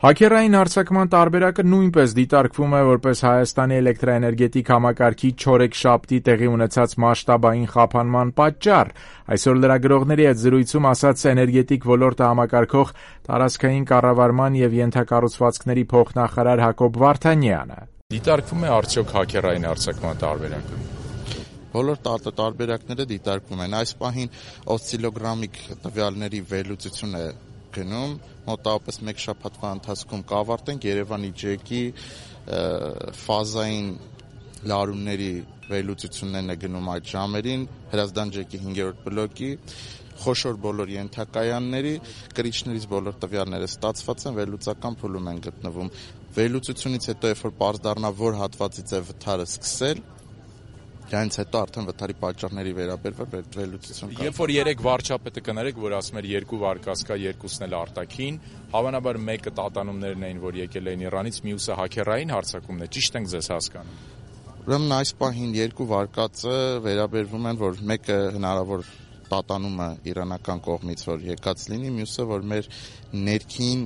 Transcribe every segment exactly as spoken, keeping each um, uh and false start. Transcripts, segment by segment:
Հաքերային հարձակման տարբերակը նույնպես դիտարկվում է որպես Հայաստանի էլեկտրաէներգետիկ համակարգի չորեքշաբթի տեղի ունեցած մասշտաբային խափանման պատճառ, այսօր լրագրողների հետ զրույցում ասաց էներգետիկ ոլորտը համակարգող տարածքային կառավարման եւ ենթակառուցվածքների փոխնախարար Հակոբ Վարդանյանը։ Դիտարկվում է արդյոք հաքերային հարձակման տարբերակը։ Բոլոր տարբերակները դիտարկվում են։ Այս պահին օսցիլոգրամիկ տվյալների վերլուծություն է գնում, մոտավորապես մեկ շաբաթվա ընթացքում կավարտենք Երևանի ջեկի ֆազային լարումների վերլուծություններն է գնում այդ ժամերին, Հրազդան ջեկի հինգերորդ բլոկի, խոշոր բոլոր ենթակայանների, կրիչներից բոլոր տվյալները ստացված են, վերլուծական փուլում են գտնվում։ Վերլուծությունից հետո, երբ որ պարզ դառնա, որ հատվածից է վթարը սկսել, դրանից հետո արդեն վթարի պատճառների վերաբերյալ վերլուծություն կա։ Երբ որ երեք վարչապետը կներեք, որ ասում էր երկու վարկած կա, երկուսն էլ արտաքին, հավանաբար մեկը տատանումներն էին, որ եկել էին Իրանից, մյուսը հաքերային հարձակումն է, ճիշտ ենք ձեզ հասկանում։ Ուրեմն այս պահին երկու վարկածը վերաբերվում են, որ մեկը հնարավոր տատանումը իրանական կողմից որ եկած լինի, մյուսը որ մեր ներքին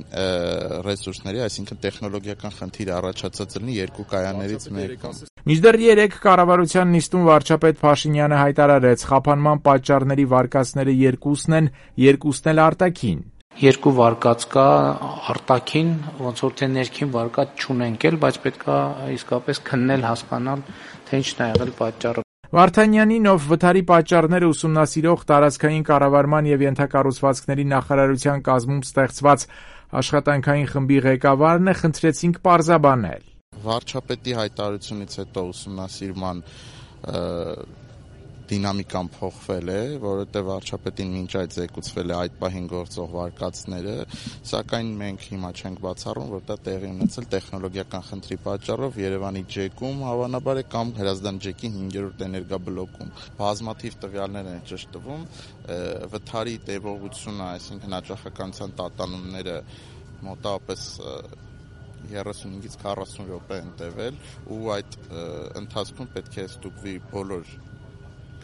ռեսուրսների, այսինքն տեխնոլոգիական խնդիր առաջացած լինի երկու կայաններից մեկը։ Մինչդեռ երեք կառավարության նիստում վարչապետ Փաշինյանը հայտարարեց, խափանման պատճառների վարկածները երկուսն են, երկուսն էլ արտաքին։ Երկու վարկած կա արտաքին, ոնց որ թե ներքին վարկած չունենք էլ, բայց պետք է իսկապես քննել, հասկանալ, թե ինչն է եղել պատճառը։ Վարդանյանին, ով վթարի պատճառները ուսումնասիրող տարածքային կառավարման եւ ենթակառուցվածքների նախարարության կազմում ստեղծված աշխատանքային խմբի ղեկավարն է, խնդրեցինք պարզաբանել։ Վարչապետի հայտարարությունից հետո ուսումնասիրման դինամիկան փոխվել է, որովհետև վարչապետին մինչ այդ զեկուցվել է այդ պահին գործող վարկածները, սակայն մենք հիմա չենք բացառում, որ դա տեղի ունեցել տեխնոլոգիական խնդրի պատճառով Երևանի ջեկում, հավանաբար է կամ Հրազդան ջեկի հինգերորդ էներգաբլոկում։ Բազմաթիվ տվյալներ են ճշտվում, վթարի տևողությունը, այսինքն հաճախականության տատանումները մոտավորապես երեսունհինգից քառասուն րոպե են տևել ու այդ ընթացքում պետք է ստուգվի բոլոր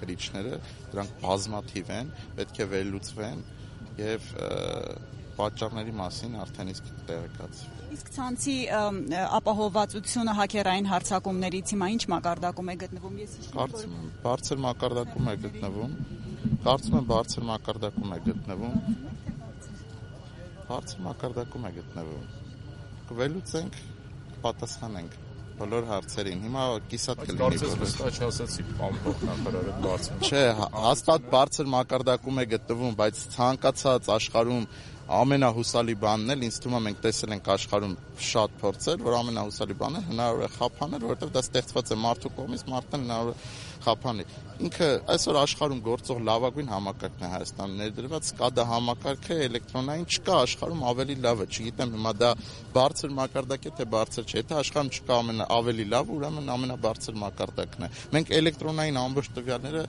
կրիչները, դրանք բազմաթիվ են, պետք է վերլուծվեն եւ պատճառների մասին արդեն իսկ տեղեկացվի։ Իսկ ցանցի ապահովվածությունը հաքերային հարձակումներից հիմա ինչ մակարդակում է գտնվում։ Ես կարծում եմ բարձր մակարդակում է գտնվում։ Կարծում եմ բարձր մակարդակում է գտնվում։ Բարձր մակարդակում է գտնվում։ Կվելուծենք, պատասխանենք բոլոր հարցերին։ Հիմա կիսատ կլինի։ Կարծես վստահ չասացի, պարոն փոխնախարարը բարձր։ Չէ, հաստատ բարձր մակարդակում է գտնվում, բայց ցանկացած աշխարհում ամենահուսալի բանն էլ ինձ թվում է մենք տեսել ենք աշխարհում շատ փորձեր, որ ամենահուսալի բանը հնարավոր է խափանել, որովհետև դա ստեղծված է մարդու կողմից, մարդն հնարավոր է խափանի։ Ինքը այսօր աշխարհում գործող լավագույն համակարգն է Հայաստանում ներդրված, SCADA համակարգը էլեկտրոնային չկա աշխարհում ավելի լավը, չգիտեմ հիմա դա բարձր մակարդակ է թե բարձր չէ, եթե աշխարհում չկա ամենա ավելի լավ, ուրեմն ամենաբարձր մակարդակն է։ Մենք էլեկտրոնային ամբողջ տվյալները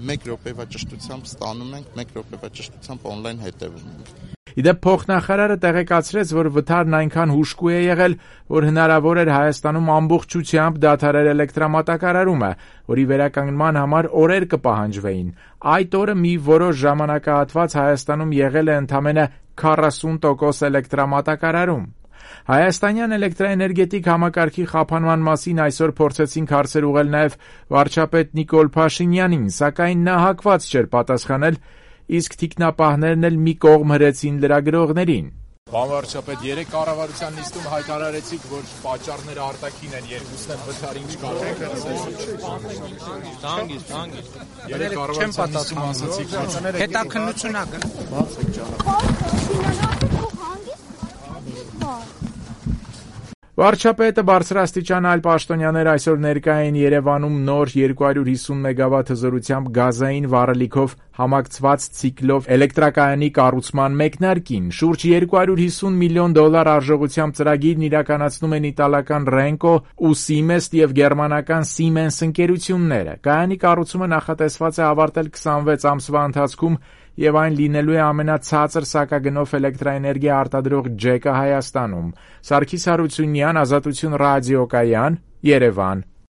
մեկ րոպեվա ճշտությամբ ստանում ենք, մեկ րոպեվա ճշտությամբ on-line հետևում ենք։ Իդեպ փոխնախարարը տեղեկացրեց, որ վթարն այնքան հուժկու է եղել, որ հնարավոր էր Հայաստանում ամբողջությամբ դադարել էլեկտրամատակարարումը, որի վերականգնման համար օրեր կպահանջվեին։ Այդ օրը մի որոշ ժամանակահատված Հայաստանում եղել է ընդամենը քառասուն տոկոս էլեկտրամատակարարում։ Հայաստանյան էլեկտրաէներգետիկ համակարգի խափանման մասին այսօր փորձեցինք հարցեր ուղղել նաև վարչապետ Նիկոլ Փաշինյանին, սակայն նա հակված չէր պատասխանել, իսկ թիկնապահներն էլ մի կողմ հրեցին լրագրողներին։ Պարոն վարչապետ, երեք կառավարության նիստում հայտարարեցիք, որ պատճառները արտաքին են, երկուսն են վթարի, ինչ կարող եք Տանգից, տանգից։ Երեք կառավարության նիստում ասացիք, որ հետաքննություն ա Վարչապետը բարձրաստիճան այլ պաշտոնյաներ այսօր ներկա էին Երևանում նոր երկու հարյուր հիսուն մեգավատ հզորությամբ գազային վառելիքով համակցված ցիկլով էլեկտրակայանի կառուցման մեկնարկին։ Շուրջ երկու հարյուր հիսուն միլիոն դոլար արժողությամբ ծրագիրն իրականացնում են իտալական Renco ու Siemens եւ գերմանական Siemens ընկերությունները։ Կայանի կառուցումը նախատեսված է ավարտել քսանվեց ամսվա ընթացքում եւ այն լինելու է ամենացածր սակագնով էլեկտրաէներգիա արտադրող ջեկը Հայաստանում։ Սարգիս Հարությունյան, Ազատություն ռադիոկայան, Երևան։